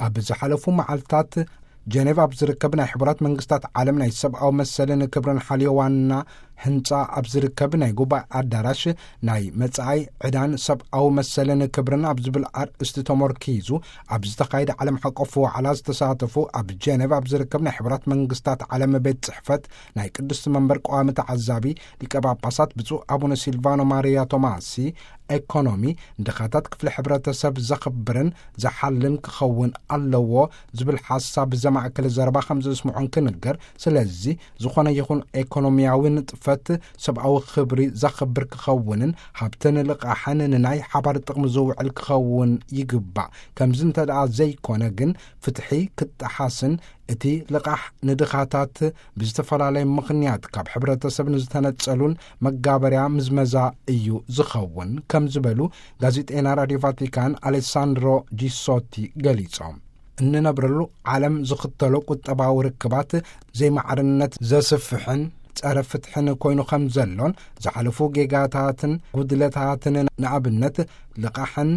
ኣብ ዝሓለፉ መዓልታት ጀኔቭ ኣብ ዝርከብ ናይ ሕቡራት መንግስታት ዓለም ናይ ሰብኣዊ መሰልን ክብርን ሓልዮ ዋና ህንጻ ኣብ ዝርከብ ናይ ጉባኤ ኣዳራሽ ናይ መጻኢ ዕዳን ሰብኣዊ መሰልን ክብርን ኣብ ዝብል ኣርእስቲ ተመርኪዙ ኣብ ዝተኻየደ ዓለም ሓቆፍ ዋዕላ ዝተሳተፉ ኣብ ጀኔቭ ኣብ ዝርከብ ናይ ሕቡራት መንግስታት ዓለም ቤት ጽሕፈት ናይ ቅድስቲ መንበር ቀዋሚ ተዓዛቢ ሊቀ ጳጳሳት ብፁዕ ኣቡነ ሲልቫኖ ማሪያ ቶማሲ፣ ኤኮኖሚ ንድኻታት ክፍሊ ሕብረተሰብ ዘኽብርን ዝሓልን ክኸውን ኣለዎ ዝብል ሓሳብ ዘማእከለ ዘረባ ከም ዘስምዑን ክንገር። ስለዚ ዝኾነ ይኹን ኤኮኖሚያዊ ንጥፈት ሰብኣዊ ክብሪ ዘኽብር ክኸውንን ሃብትን ልቓሕን ንናይ ሓባር ጥቕሚ ዝውዕል ክኸውን ይግባእ። ከምዚ እንተ ደኣ ዘይኮነ ግን ፍትሒ ክጠሓስን እቲ ልቓሕ ንድኻታት ብዝተፈላለየ ምኽንያት ካብ ሕብረተሰብ ንዝተነጸሉን መጋበርያ ምዝመዛ እዩ ዝኸውን ከም ዝበሉ ጋዜጠና ራድዮ ቫቲካን ኣሌሳንድሮ ጂሶቲ ገሊጾም። እንነብረሉ ዓለም ዝኽተሎ ቁጠባዊ ርክባት ዘይማዕርነት ዘስፍሕን ጸረ ፍትሕን ኮይኑ ከም ዘሎን ዝሓለፉ ጌጋታትን ጉድለታትን ንኣብነት ልቓሕን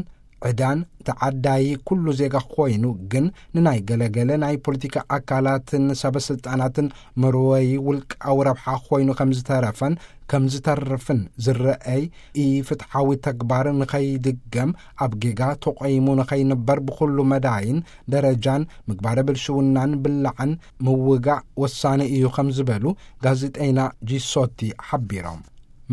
ዕዳን ተዓዳዪ ኩሉ ዜጋ ኮይኑ ግን ንናይ ገለገለ ናይ ፖለቲካ ኣካላትን ሰበ ስልጣናትን መርወዪ ውልቃዊ ረብሓ ኮይኑ ከም ዝተረፈን ከም ዝተርፍን ዝረኣይ ኢፍትሓዊ ተግባር ንኸይድገም ኣብ ጌጋ ተቆይሙ ንኸይንበር ብኹሉ መዳይን ደረጃን ምግባረ ብልሽውናን ብላዕን ምውጋእ ወሳኒ እዩ ከም ዝበሉ ጋዜጠይና ጂሶቲ ሓቢሮም።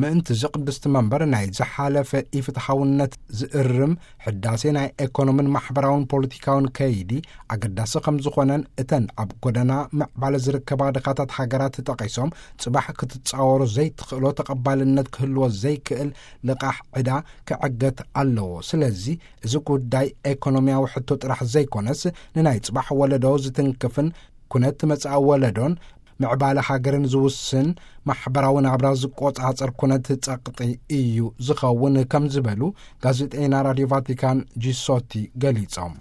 ምእንቲ እዚ ቅድስቲ መንበር ናይ ዝሓለፈ ኢፍትሓውነት ዝእርም ሕዳሴ ናይ ኤኮኖምን ማሕበራውን ፖለቲካውን ከይዲ ኣገዳሲ ከም ዝኾነን እተን ኣብ ጎደና ምዕባለ ዝርከባ ድኻታት ሃገራት ተጠቒሶም ጽባሕ ክትጻወሮ ዘይትኽእሎ ተቐባልነት ክህልዎ ዘይክእል ልቓሕ ዕዳ ክዕገት ኣለዎ። ስለዚ እዚ ጉዳይ ኤኮኖሚያዊ ሕቶ ጥራሕ ዘይኮነስ ንናይ ጽባሕ ወለዶ ዝትንክፍን ኩነት መጻኢ ወለዶን ምዕባለ ሃገርን ዝውስን ማሕበራዊ ናብራ ዝቆጻጸር ኩነት ጸቕጢ እዩ ዝኸውን ከም ዝበሉ ጋዜጠይና ራድዮ ቫቲካን ጂሶቲ ገሊጾም።